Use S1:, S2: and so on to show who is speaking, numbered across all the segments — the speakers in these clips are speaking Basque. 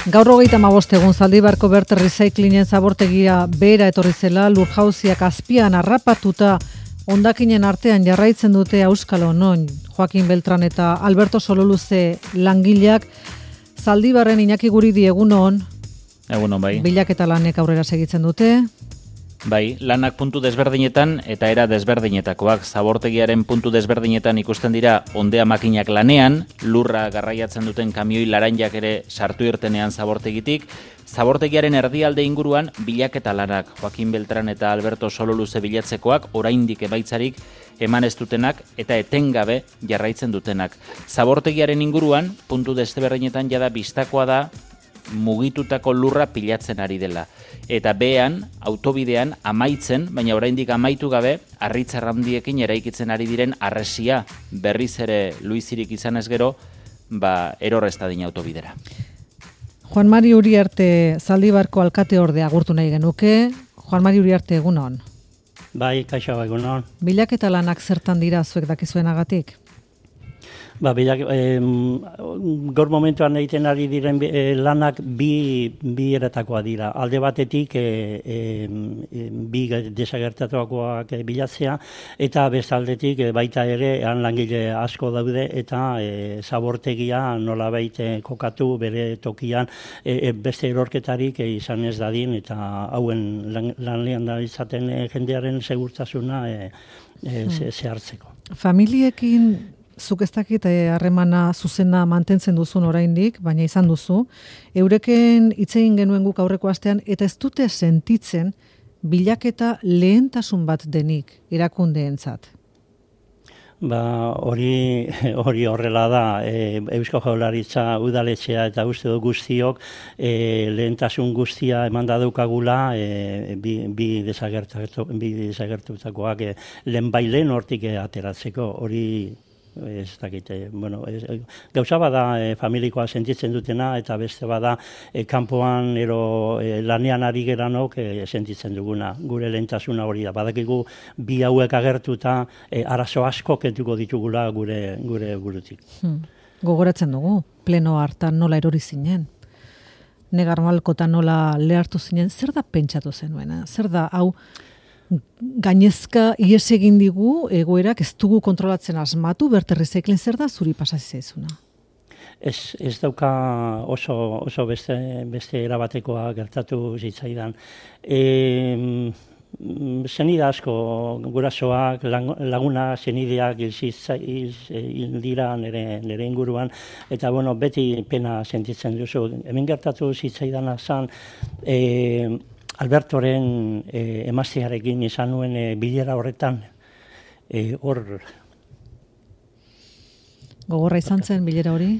S1: Gaur 35 egun Zaldibarko Bert Recyclingen zabortegia behera etorri zela, lurjauziak azpian harrapatuta hondakinen artean jarraitzen dute auskalo non. Joaquin Beltran eta Alberto Sololuze langileak Zaldibarren Iñaki Guridi egunon.
S2: Egunon bai.
S1: Bilaketa lanek aurrera segitzen dute.
S2: Bai, lanak puntu desberdinetan eta era desberdinetakoak. Zabortegiaren puntu desberdinetan ikusten dira ondea makinak lanean, lurra garraiatzen duten kamioi laranjak ere sartu irtenean zabortegitik. Zabortegiaren erdialde inguruan bilaketa lanak, Joaquin Beltran eta Alberto Sololuze bilatzekoak, oraindik emaitzarik eman ez dutenak eta etengabe jarraitzen dutenak. Zabortegiaren inguruan, puntu desberdinetan jada bistakoa da mugitutako lurra pilatzen ari dela. Eta behean, autobidean amaitzen, baina oraindik amaitu gabe, harritzarrandiekin eraikitzen ari diren harresia berriz ere luizirik izan ez gero, eror ez dadin autobidera.
S1: Juan Mari Uriarte Zaldibarko alkateorde agurtu nahi genuke. Juan Mari Uriarte egunon.
S3: Bai, kaixo egunon.
S1: Bilaketa lanak zertan dira zuek dakizuenagatik?
S3: Gaur momentuan egiten ari diren lanak bi eratakoa dira. Alde batetik bi desagertatuakoak bilatzea eta bestaldetik baita ere han langile asko daude eta zabortegia nolabait kokatu bere tokian beste erorketarik izan ez dadin eta hauen lanlean da izaten jendearen segurtasuna zehartzeko.
S1: Familiekin zuk ez dakit harremana zuzena mantentzen duzun oraindik, baina izan duzu, eureken hitz egin genuen guk aurreko astean, eta ez dute sentitzen bilaketa lehentasun bat denik erakundeentzat.
S3: Hori horrela da, Eusko Jaurlaritza udaletxea eta uste du guztiok lehentasun guztia eman daukagula bi desagertutakoak lehen hortik ateratzeko, hori ez dakite, gauza bada familikoa sentitzen dutena eta beste bada kanpoan lanean ari geranok sentitzen duguna. Gure lehentasuna hori da. Badakigu bi hauek agertuta arazo asko kentuko ditugula gure burutik.
S1: Gogoratzen dugu, pleno hartan nola erori zinen. Negar Malkotan nola lehartu zinen, zer da pentsatu zenuena? Zer da, hau, gainezka ihes egin digu egoerak ez dugu kontrolatzen asmatu, Bert Recycling zer da zuri pasasi zaizuna?
S3: Ez dauka oso beste erabatekoa gertatu zitzaidan. Zenide asko gurasoak, laguna zenideak hil dira nire inguruan, eta beti pena sentitzen duzu. Hemen gertatu zitzaidana zen, Albertoren emaztearekin izan nuen bilera horretan,
S1: Gogorra izan zen bilera hori?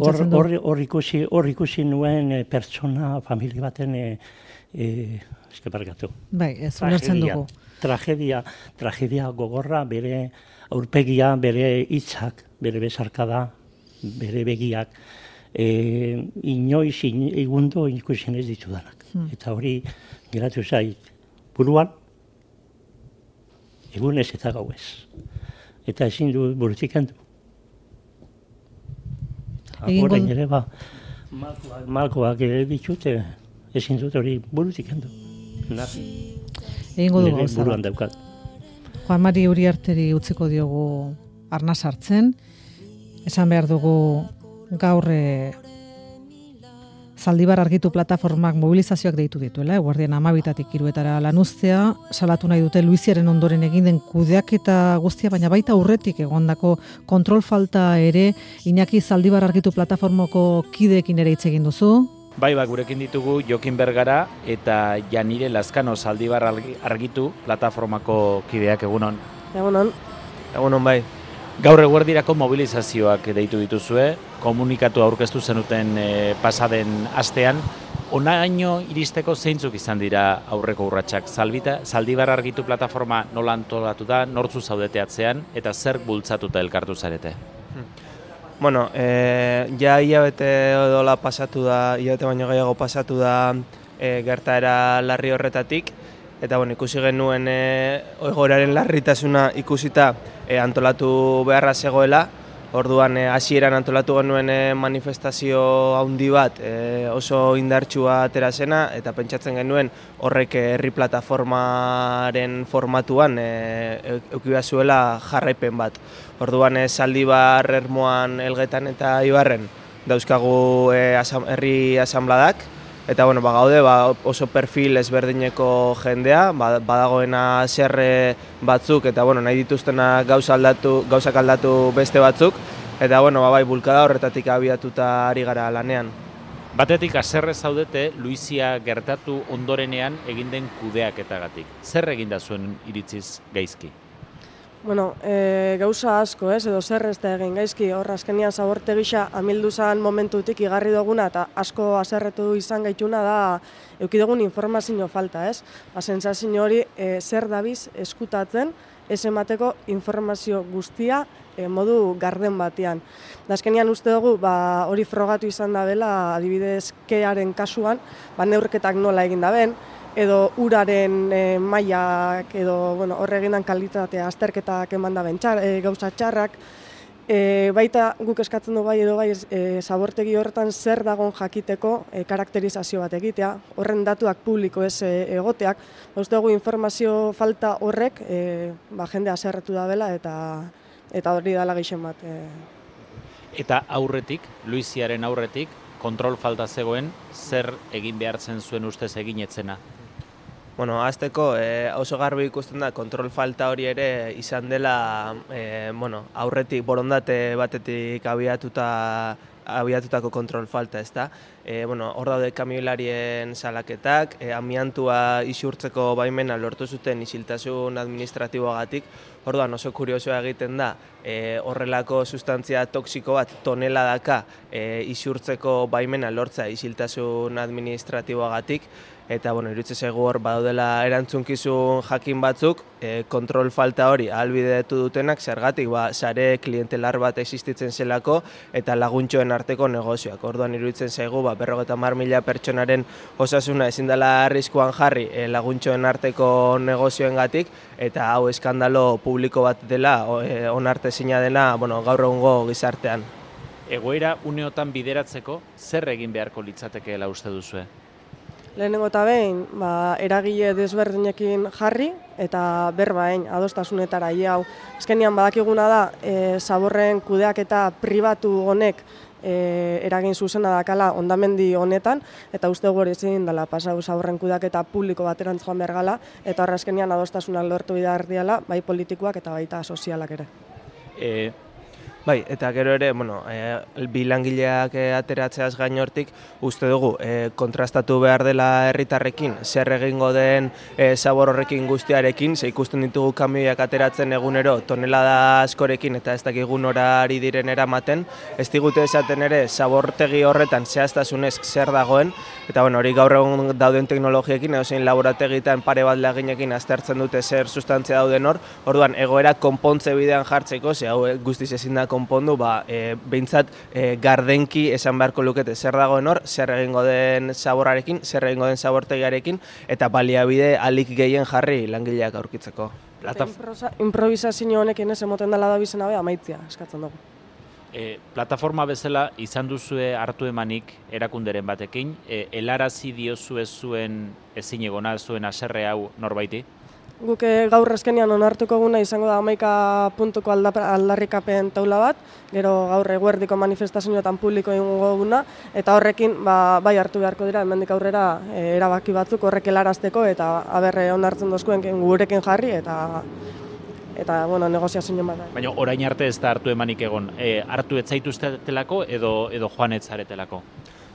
S3: Hor ikusi nuen pertsona, familia baten, eskeparkatu.
S1: Bai, ez ulertzen dugu.
S3: Tragedia gogorra, bere aurpegia, bere hitzak, bere besarkada, bere begiak, inoiz egundo ikusten ez ditudanak. Eta hori geratu zait buruan, egunez eta gauez. Eta ezin du burutik kendu. Horrein ere malkoak ditute, ezin dut hori burutik kendu.
S1: Egingo dugu gauza
S3: buruan daukat.
S1: Juan Mari Uriarteri utziko diogu arnas hartzen. Esan behar dugu gaur Zaldibar argitu plataformak mobilizazioak deitu dituela, eguerdian 12-tik 3 lanuztea, salatu nahi dute Luiziaren ondoren egin den kudeaketa guztia, baina baita aurretik egondako kontrol falta ere. Iñaki, Zaldibar argitu plataformako kideekin ere hitz egin duzu?
S2: Bai, gurekin ditugu Jokin Bergara eta Janire Lazkano Zaldibar argitu plataformako kideak egunon.
S4: Egunon bai.
S2: Gaur eguerdirako mobilizazioak deitu dituzue, komunikatu aurkeztu zenuten pasaden astean. Honaino iristeko zeintzuk izan dira aurreko urratsak? Zaldibar argitu plataforma nola antolatu da, nortzu zaudeteatzean eta zer bultzatuta elkartu zarete?
S4: Ja hilabete odola pasatu da, hilabete baino gehiago pasatu da gertaera larri horretatik. Eta ikusi genuen egoeraren larritasuna ikusita antolatu beharra zegoela, Orduan hasieran antolatu genuen manifestazio handi bat oso indartsua atera zena, eta pentsatzen genuen horrek herri plataformaren formatuan eduki zuela jarraipen bat. Orduan Zaldibar, Ermuan, Elgetan eta Ibarren dauzkagu herri asanbladak, eta gaude oso perfil ezberdineko jendea, badagoena zerre batzuk, eta nahi dituztenak gauzak aldatu beste batzuk, eta bai bulkada horretatik abiatuta ari gara lanean.
S2: Batetik haserre zaudete Luizia gertatu ondorenean egin den kudeaketagatik. Zer eginda zuen iritziz gaizki?
S5: Gauza asko, edo zer ez da egin gaizki, hor azkenian Zabortegi gisa amildu zan momentutik igarri duguna eta asko haserretu izan gaituna da eduki dugun informazio falta, ez? Sentsazio hori zer dabiz eskutatzen, ez emateko informazio guztia modu garden batean. Azkenian uste dugu hori frogatu izan da bela, adibidez kearen kasuan, neurketak nola egin da ben, edo uraren mailak, edo horre egindan kalitatea azterketak eman da ben gauza txarrak. Baita guk eskatzen du edo Zabortegi horretan zer dagon jakiteko karakterizazio bat egitea, horren datuak publiko ez egoteak. Uste dugu informazio falta horrek jende haserretu da bela eta hori dala gehien bat.
S2: Eta aurretik, Luiziaren aurretik, kontrol falta zegoen, zer egin behartzen zuen ustez egin etzena?
S4: Hasteko oso garbi ikusten da kontrol falta hori ere izan dela aurretik borondate batetik abiatutako kontrol falta, ezta? Hor daude kamioilarien salaketak, amiantua isurtzeko baimena lortu zuten isiltasun administratiboagatik. Orduan oso kuriosoa egiten da horrelako sustantzia toksiko bat toneladaka isurtzeko baimena lortza isiltasun administratiboagatik. Eta iruditzen zaigu hor badaudela erantzunkizun jakin batzuk, kontrol falta hori ahalbidetu dutenak, zergatik sare klientelar bat existitzen zelako eta laguntxoen arteko negozioak. Orduan iruditzen zaigu 50.000 pertsonaren osasuna ezin dela arriskuan jarri laguntxoen arteko negozioengatik, eta hau eskandalo publiko bat dela, onartezina dela gaur egungo gizartean.
S2: Egoera uneotan bideratzeko zer egin beharko litzatekeela uste duzue?
S5: Lehenengo eta behin, eragile desberdinekin jarri eta berbain adostasunetara hau. Azkenean badakiguna da, Zaborren kudeaketa pribatu honek eragin zuzena dakala ondamendi honetan, eta uste gure ezin dela pasau Zaborren kudeaketa publiko baterantz joan behar gala, eta horra azkenean adostasunak lortu bidar diala, bai politikoak eta baita sozialak ere.
S4: Bai, eta gero ere, bi langileak ateratzeaz gain hortik, uste dugu kontrastatu behar dela herritarrekin, zer egingo den Zabor horrekin guztiarekin, ze ikusten ditugu kamioiak ateratzen egunero tonelada askorekin eta ez dakigu nora ari diren eramaten, ez digute esaten ere Zabortegi horretan zehaztasunez zer dagoen, eta hori gaur egun dauden teknologiekin, edozein laborategitan pare bat laginekin aztertzen dute zer sustantzia dauden hor, orduan egoera konpontze bidean jartzeko, ze hau guztiz ezin da konpondu, behintzat gardenki esan beharko lukete zer dagoen hor, zer egingo den Zaborrarekin, zer egingo den Zabortegiarekin, eta baliabide alik gehien jarri langileak aurkitzeko.
S5: Improvisazio honekin ez emoten dela da bizena amaitzia eskatzen dugu.
S2: Plataforma bezala izan duzue hartu emanik erakunderen batekin, helarazi diozue zuen ezin egona zuen haserre hau norbaiti?
S5: Guk gaur azkenean onartuko guna izango da 11 puntuko aldarrikapen taula bat, gero gaur eguerdiko manifestazioetan publiko egingo guna, eta horrekin bai hartu beharko dira, hemendik aurrera erabaki batzuk horrek helarazteko, eta onartzen dozkuen gurekin jarri, eta negoziazio bat.
S2: Baina orain arte ez da hartu emanik egon, hartu ez zaituztetelako edo joan ez zaretelako?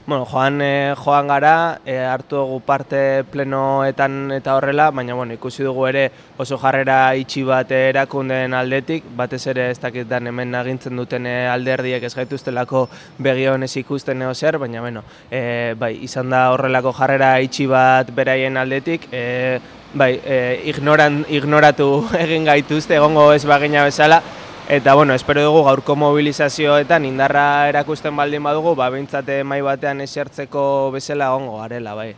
S4: Joan gara, hartu dugu parte plenoetan eta horrela, baina ikusi dugu ere oso jarrera itxi bat erakundeen aldetik, batez ere ez dakit dan hemen agintzen duten alderdiek ez gaituztelako begionez ikusten zer, baina izan da horrelako jarrera itxi bat beraien aldetik, ignoratu egin gaituzte, egongo ez bagina bezala, eta espero dugu gaurko mobilizazioetan indarra erakusten baldin badugu, behintzat mai batean esertzeko bezala egongo garela, bai.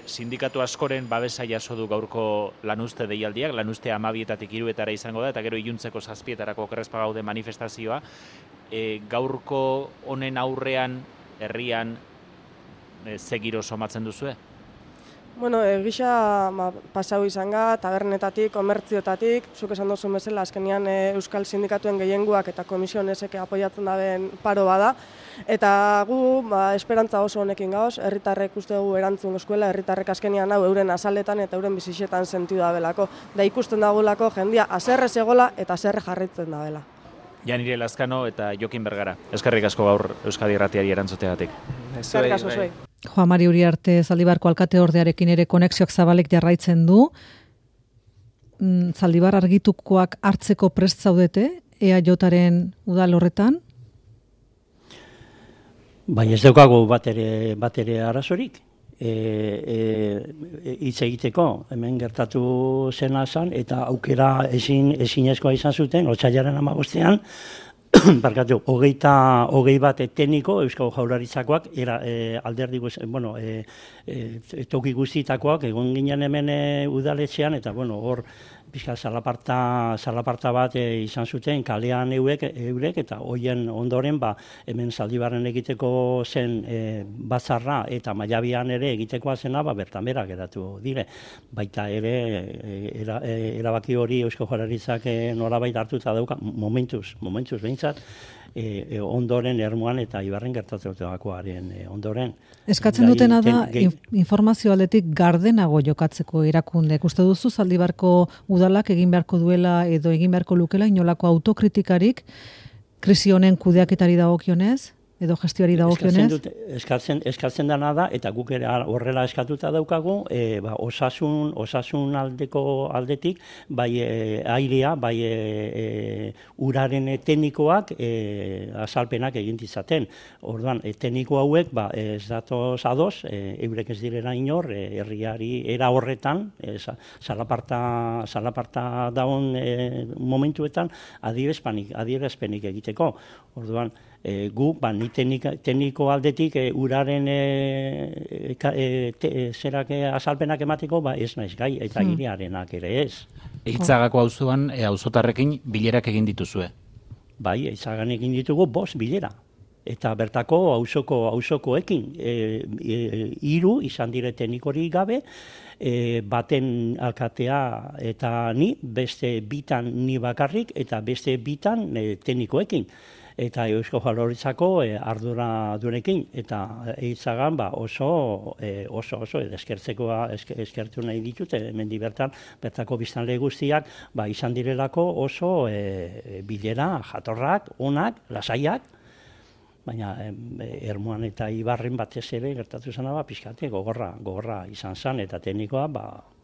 S2: Sindikatu askoren babesa jaso du gaurko lanuzte deialdiak, lanuzte 12etatik 3etara izango da, eta gero iluntzeko 7etarako okerrezpa gaude manifestazioa. gaurko honen aurrean, herrian, ze giro somatzen duzue?
S5: Bueno, egisa pasau izan ga, tabernetatik, komertziotatik, zuk esan duzun bezala, azkenean Euskal Sindikatuen gehienguak eta komisionesek apoiatzen daben paro bada. Eta gu, esperantza oso honekin gauz, herritarrek uste dugu erantzun eskuela, herritarrek azkenean hau euren azaletan eta euren bizitzetan sentiu dabelako. Da ikusten dagulako jendia haserre zegola eta haserre jarritzen dabela.
S2: Janire Lazkano eta Jokin Bergara. Eskerrik asko gaur Euskadi Irratiari erantzuteagatik.
S5: Eskerrik asko zuei.
S1: Juan Mari Uriarte Zaldibarko alkate ordearekin ere konexioak zabalek jarraitzen du. Zaldibar argitukoak hartzeko prest zaudete, EAJaren udal horretan?
S3: Bai, ez daukagu bat ere arazorik. Hitz egiteko, hemen gertatu zena zan, eta aukera ezinezkoa izan zuten, otsailaren 15ean, barkatu, 21 tekniko Eusko Jaurlaritzakoak alderdi toki guztietakoak egon ginen hemen udaletxean, eta hor pixka zalaparta bat izan zuten kalean eurek, eta hoien ondoren hemen Zaldibarren egiteko zen batzarra eta Maiabian ere egitekoa zena bertan bera geratu dire. Baita ere erabaki hori Eusko Jaurlaritzak norabait hartuta dauka, momentuz behintzat, ondoren Ermuan eta Ibarren gertatutakoaren ondoren.
S1: Eskatzen dutena da informazio aldetik gardenago jokatzeko erakundek. Uste duzu Zaldibarko udalak egin beharko duela edo egin beharko lukela inolako autokritikarik krisi honen kudeaketari dagokionez? Edo gestioari dagokionez?
S3: Eskatzen dena da, eta guk ere horrela eskatuta daukagu, osasun aldetik, bai airea, bai uraren teknikoak azalpenak egin ditzaten. Orduan, tekniko hauek ez datoz ados, eurek ez direla inor, herriari era horretan, zalaparta daun momentuetan, adierazpenik egiteko. Orduan, gu, ni tekniko aldetik uraren azalpenak emateko, ez naiz gai, eta airearenak ere ez.
S2: Eitzagako auzoan auzotarrekin bilerak egin dituzue?
S3: Bai, Eitzagan egin ditugu 5 bilera. Eta bertako auzokoekin 3 izan dire teknikorik gabe, baten alkatea eta ni, beste 2 ni bakarrik, eta beste 2 teknikoekin. Eta Eusko Jaurlaritzako ardura duenekin, eta Eitzagan oso eskertu nahi ditute, hemendik bertako biztanle guztiak izan direlako oso bilera jatorrak, onak, lasaiak, baina Ermuan eta Ibarren batez ere gertatu zena pixkate gogorra izan zen, eta teknikoa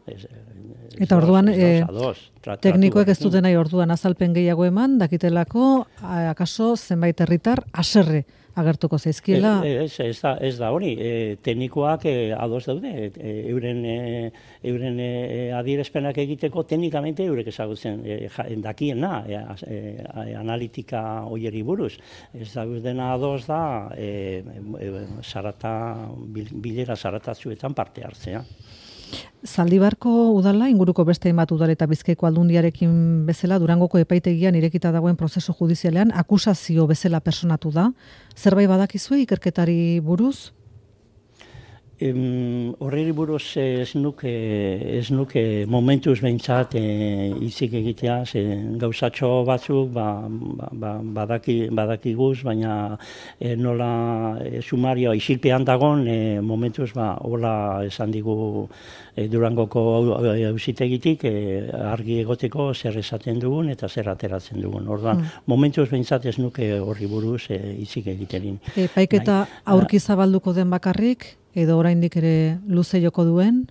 S1: eta orduan, teknikoek ez duten nahi orduan azalpen gehiago eman, dakitelako, akaso zenbait herritar haserre agertuko zaizkiela?
S3: Ez da hori, teknikoak ados daude, euren adierazpenak egiteko teknikamente eurek ezagutzen dakiena, analitika hoieri buruz. Ez daudena ados da, bilera zaratatzuetan parte hartzea.
S1: Zaldibarko udala, inguruko beste hainbat udal eta Bizkaiko Aldundiarekin bezala, Durangoko epaitegian irekita dagoen prozesu judizialean akusazio bezala personatu da. Zerbait badakizue ikerketari buruz?
S3: Horreri buruz ez nuke momentuz behintzat hitzik egitea, gauzatxo batzuk badakiguz, baina nola sumarioa isilpean dagon, momentuz hola esan digu Durangoko auzitegitik argi egoteko zer esaten dugun eta zer ateratzen dugun. Orduan, momentuz behintzat ez nuke horri buruz hitzik egiterin.
S1: Epaiketa aurki zabalduko den bakarrik? Edo oraindik ere luze joko duen?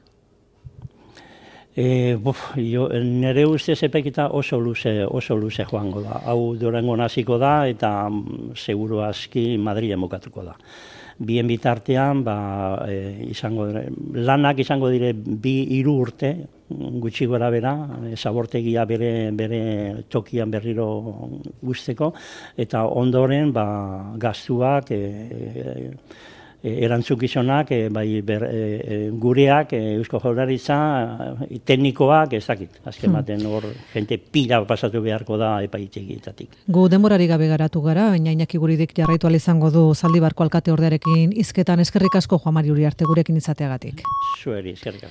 S3: Nire ustez epaiketa oso luze joango da. Hau Durangon hasiko da eta seguru aski Madrilen bukatuko da. Bien bitartean lanak izango dire 2-3 urte, gutxi gora bera, zabortegia bere tokian berriro guzteko, eta ondoren gastuak erantzukizunak, bai gureak, Eusko Jaurlaritza, teknikoak, ez dakit. Azken baten hor, jente pila pasatu beharko da epaitegietatik.
S1: Gu denborari gabe garatu gara, baina Iñaki Guridik jarraitu ahal izango du Zaldibarko alkate ordearekin hizketan. Eskerrik asko Juan Mari Uriarte gurekin izateagatik.
S3: Zueri, eskerrik asko.